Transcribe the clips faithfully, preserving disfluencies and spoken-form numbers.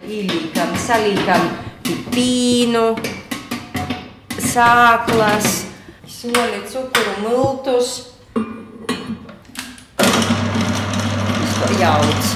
Ielīkam, salīkam pīnu, sāklas, soli, cukuru, multus. Visko jauc.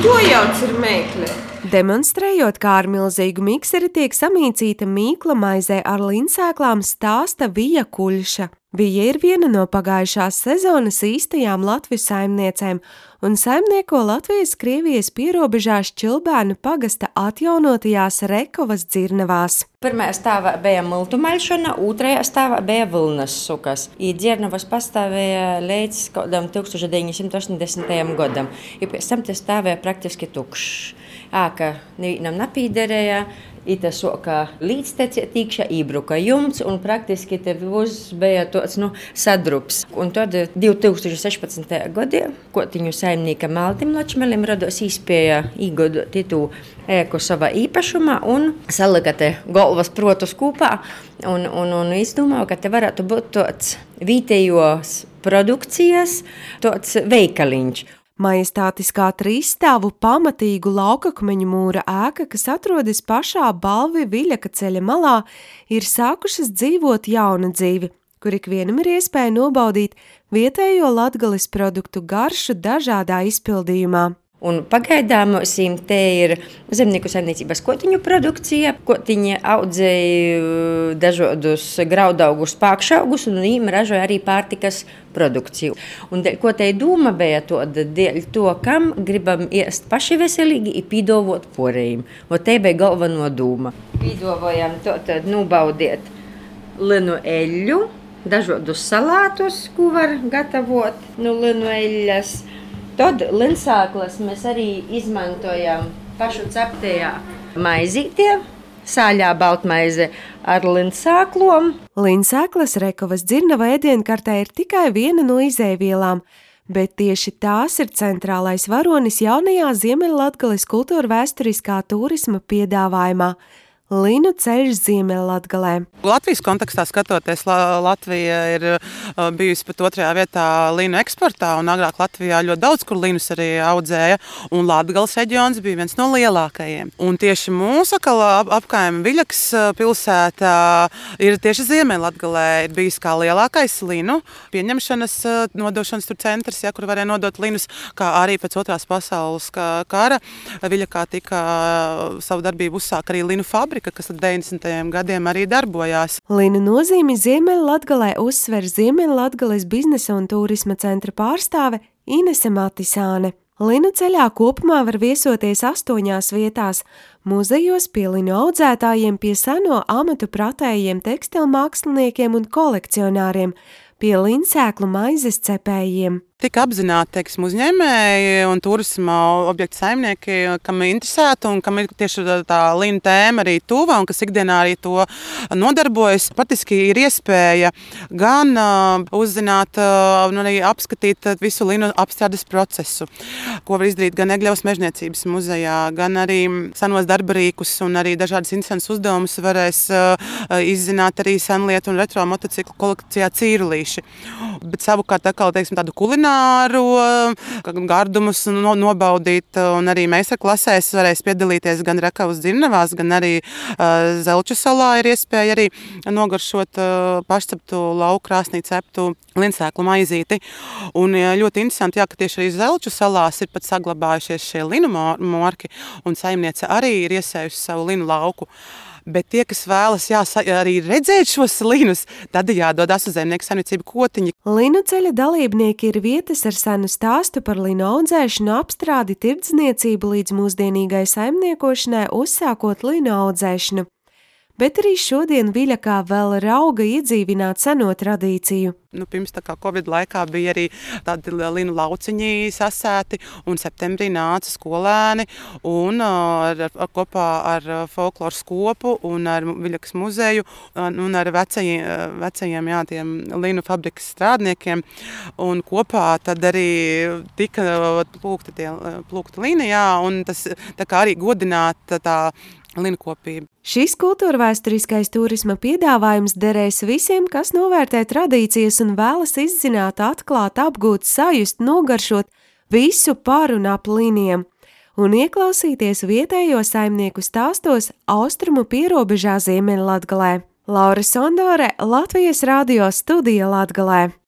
Jo jauc ir meikle. Demonstrējot, kā ar milzīgu mikseri tiek samīcīta mīkla maizē ar linsēklām, stāsta Vija Kuļša. Vija ir viena no pagājušās sezonas īstajām Latviju saimniecēm un saimnieko Latvijas-Krievijas pierobežās Čilbēnu pagasta atjaunotajās Rekovas dzirnavās. Pirmajā stāvā bija multu maļšana, otrajā stāvā bija vilnas sukas. I dzirnavas pastāvēja līdz kādam tūkstoš deviņi simti astoņdesmitajam gadam. I pēc tam te stāvēja praktiski tukšs. Āka nevienam napīderēja. Ita soka līdztecēt tīkšā ībruka jumts un praktiski te viss bija tāds, nu, sadrups. Un tad divi tūkstoši sešpadsmitajā gadā kotiņu saimnieka Maltim Ločmelim rados īspēja īgodot itu ēku savā īpašumā un salika te galvas protus kūpā un, un, un izdomāju, ka te varētu būt tāds vietējos produkcijas tāds veikaliņš. Majestātiskā trīsstāvu pamatīgu laukakmeņu mūra ēka, kas atrodas pašā Balvi Viļaka ceļa malā, ir sākušas dzīvot jaunu dzīvi, kur ikvienam ir iespēja nobaudīt vietējo Latgales produktu garšu dažādā izpildījumā. Un pagaidām mums te ir zemnieku saimniecības kotiņu produkcija. Kotiņi audzēja dažādus graudaugus, pākšaugus un viņiem ražoja arī pārtikas produkciju. Un ko te doma bija tāda dēļ to, kam gribam ēst paši veselīgi un pīdovot porējiem. Un te bija galveno doma. Pīdovojam to tad nobaudiet linu eļļu, dažādus salātus, ko var gatavot no linu eļļas. Tad linsāklas mēs arī izmantojam pašu ceptajā maizītē, sāļā baltmaize ar linsāklom. Linsāklas Rekovas dzirnava ēdienkartē ir tikai viena no izēvielām, bet tieši tās ir centrālais varonis jaunajā Ziemeļlatgales kultūrvēsturiskā turisma piedāvājumā. Linu ceļš Ziemeļlatgalē. Latvijas kontekstā skatoties, Latvija ir bijusi pat otrajā vietā linu eksportā, un agrāk Latvijā ļoti daudz, kur linus arī audzēja, un Latgales reģions bija viens no lielākajiem. Un tieši mūsu apkaime Viļakas pilsētā ir tieši Ziemeļlatgalē ir bijis kā lielākais linu pieņemšanas, nodošanas tur centrs, ja, kur varēja nodot linus, kā arī pēc otrās pasaules kara. Viļakā tika savu darbību uzsāk arī linu fabrika, kas līdz deviņdesmitajiem gadiem arī darbojās. Linu nozīmi Ziemeļlatgalē uzsver Ziemeļlatgales biznesa un turisma centra pārstāve Inese Matisāne. Linu ceļā kopumā var viesoties astoņās vietās – muzejos, pie linu audzētājiem, pie seno amatu pratējiem, tekstilmāksliniekiem un kolekcionāriem, pie linsēklu maizes cepējiem. Tika apzināti, teiksim, uzņēmēji un turisma objektu saimnieki, kam interesēta un kam ir tieši tā linu tēma arī tuva un kas ikdienā arī to nodarbojas. Patiski ir iespēja gan uh, uzzināt un uh, arī apskatīt visu linu apstrādes procesu, ko var izdarīt gan Egļevas mežniecības muzejā, gan arī senos darbarīkus un arī dažādas interesantas uzdevumus varēs uh, izzināt arī senlietu un retro motociklu kolekcijā Cīrulīši. Bet savukārt atkal, teiksim, tādu kulināru gardumus nobaudīt, un arī meistarklasēs varēs piedalīties gan Rekovas dzirnavās, gan arī uh, Zelču salā ir iespēja arī nogaršot uh, pašceptu lauku krāsnī ceptu linsēklu maizīti. Un ļoti interesanti, jā, ka tieši arī Zelču salās ir pat saglabājušies šie linu morki, un saimniece arī ir iesējusi savu linu lauku. Bet tie, kas vēlas jā, arī redzēt šos linus, tad jādodas uz zemnieku saimniecību Kotiņi. Linu ceļa dalībnieki ir vietas ar senu stāstu par linu audzēšanu, apstrādi, tirdzniecību līdz mūsdienīgai saimniekošanai, uzsākot linu audzēšanu. Bet arī šodien Viļakā vēl rauga iedzīvināt seno tradīciju. Nu, pirms tā kā Covid laikā bija arī tādi linu lauciņi sasēti, un septembrī nāca skolēni un ar, ar, kopā ar folkloras kopu un ar Viļakas muzeju un ar vecajiem, vecajiem jā, tiem linu fabrikas strādniekiem. Un kopā tad arī tika plūkta, tie, plūkta lini, jā, un tas tā kā arī godināt tā linkopību. Šis kultūrvēsturiskais turisma piedāvājums derēs visiem, kas novērtē tradīcijas un vēlas izzināt, atklāt, apgūt, sajust, nogaršot visu par un ap līniem un ieklausīties vietējo saimnieku stāstos austrumu pierobežā Ziemeļlatgalē. Laura Sondore, Latvijas radio studija Latgalē.